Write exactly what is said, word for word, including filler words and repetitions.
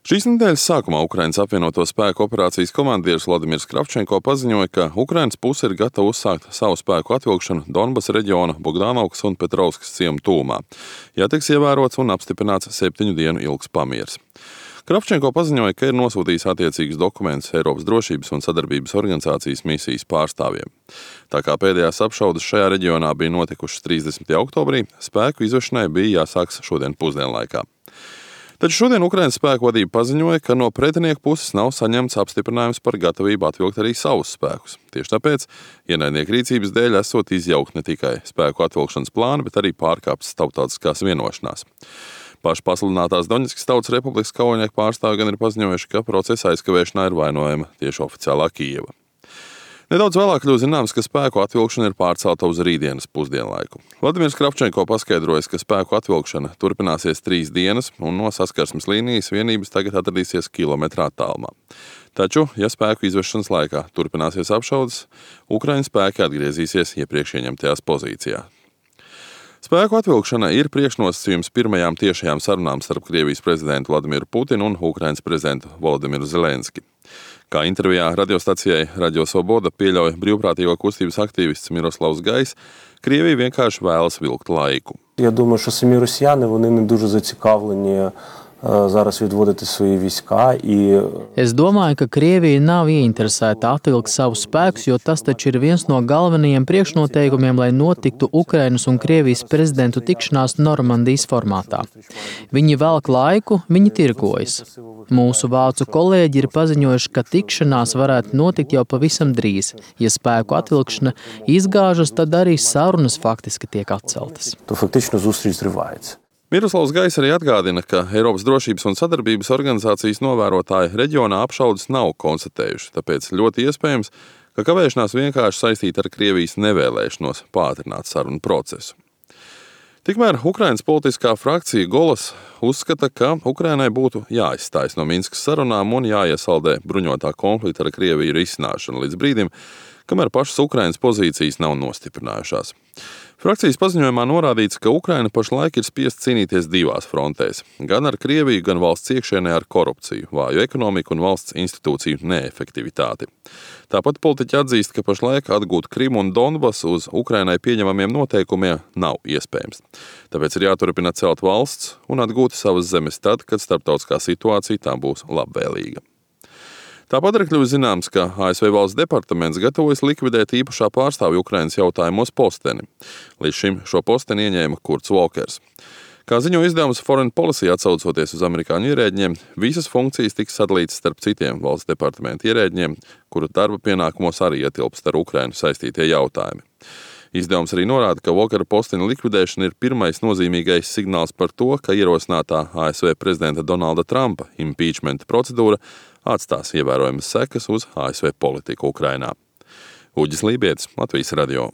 Šīs nedēļas sākumā Ukrainas apvienoto spēku operācijas komandieris Vladimirs Kravčenko paziņoja, ka Ukrainas puse ir gatava uzsākt savu spēku atvilkšanu Donbasa reģiona Bogdanovkas un Petrovskas ciemu tūmā, ja tiks ievērots un apstiprināts septiņu dienu ilgs pamiers. Kravčenko paziņoja, ka ir nosūtījis attiecīgus dokumentus Eiropas drošības un sadarbības organizācijas misijas pārstāvjiem. Tā kā pēdējās apšaudes šajā reģionā bija notikušas trīsdesmitajā oktobrī, spēku izvešanai bija jāsāks šodien pusdienlaikā. Taču šodien Ukrainas spēku vadība paziņoja, ka no pretinieku puses nav saņemts apstiprinājums par gatavību atvilkt arī savus spēkus. Tieši tāpēc ienaidnieku rīcības dēļ esot izjaukt ne tikai spēku atvilkšanas plāni, bet arī pārkāptas starptautiskās vienošanās. Paši pasludinātās Doņetskas Tautas Republikas kaujinieku pārstāvji gan ir paziņojuši, ka procesa aizkavēšanā ir vainojama tieši oficiālā Kijeva. Nedaudz vēlāk kļūst zināms, ka spēku atvilkšana ir pārcelta uz rītdienas pusdienlaiku. Vladimirs Kravčenko paskaidroja, ka spēku atvilkšana turpināsies trīs dienas un no saskarsmes līnijas vienības tagad atradīsies kilometrā attālumā. Taču, ja spēku izvešanas laikā turpināsies apšaudes, Ukraiņas spēki atgriezīsies iepriekš ieņemtajās pozīcijās. Spēku atvilkšana ir priekšnosacījums pirmajām tiešajām sarunām starp Krievijas prezidentu Vladimiru Putinu un Ukrainas prezidentu Volodimiru Zelenski. Kā intervijā radiostacijai Radio Svoboda pieļauj brīvprātīgo kustības aktīvists Miroslavs Gais, Krievija vienkārši vēlas vilkt laiku. Я думаю, що самі росіяни, вони не дуже зацікавлені зараз відводити свої війська. І... Es domāju, ka Krievija nav ieinteresēta atvilkt savus spēkus, jo tas taču ir viens no galvenajiem priekšnoteikumiem, lai notiktu Ukrainas un Krievijas prezidentu tikšanās Normandijas formātā. Viņi velk laiku, viņi tirgojas. Mūsu vācu kolēģi ir paziņojuši, ka tikšanās varētu notikt jau pavisam drīz. Ja spēku atvilkšana izgāžas, tad arī sarunas faktiski tiek atceltas. То фактично зустріч зривається. Miroslavs Gais arī atgādina, ka Eiropas drošības un sadarbības organizācijas novērotāji reģionā apšaudes nav konstatējuši, tāpēc ļoti iespējams, ka kavēšanās vienkārši saistīta ar Krievijas nevēlēšanos pātrināt sarunu procesu. Tikmēr Ukrainas politiskā frakcija Golas uzskata, ka Ukrainai būtu jāizstājas no Minskas sarunām un jāiesaldē bruņotā konflikta ar Krieviju risināšana līdz brīdim, kamēr pašas Ukrainas pozīcijas nav nostiprinājušās. Frakcijas paziņojumā norādīts, ka Ukraina pašlaik ir spiest cīnīties divās frontēs – gan ar Krieviju, gan valsts iekšienē ar korupciju, vāju ekonomiku un valsts institūciju neefektivitāti. Tāpat politiķi atzīst, ka pašlaik atgūt Krimu un Donbasu uz Ukrainai pieņemamiem noteikumiem nav iespējams. Tāpēc ir jāturpina celt valsts un atgūt savas zemes tad, kad starptautiskā situācija tām būs labvēlīga. Tāpat arī kļūst zināms, ka A S V valsts departaments gatavojas likvidēt īpašā pārstāvja Ukrainas jautājumos posteni. Līdz šim šo posteni ieņēma Kurts Volkers. Kā ziņo izdevums Foreign Policy atsaucoties uz amerikāņu ierēģiem, visas funkcijas tiks sadalītas starp citiem valsts departamenta ierēģiem, kuru darba pienākumos arī ietilpst ar Ukrainu saistītie jautājumi. Izdevums arī norāda, ka Volkera posteņa likvidēšana ir pirmais nozīmīgais signāls par to, ka ierosinātā A S V prezidenta Donalda Trumpa impeachmenta procedūra atstās ievērojamas sekas uz A S V politiku Ukrainā. Uģis Lībietis, Latvijas radio.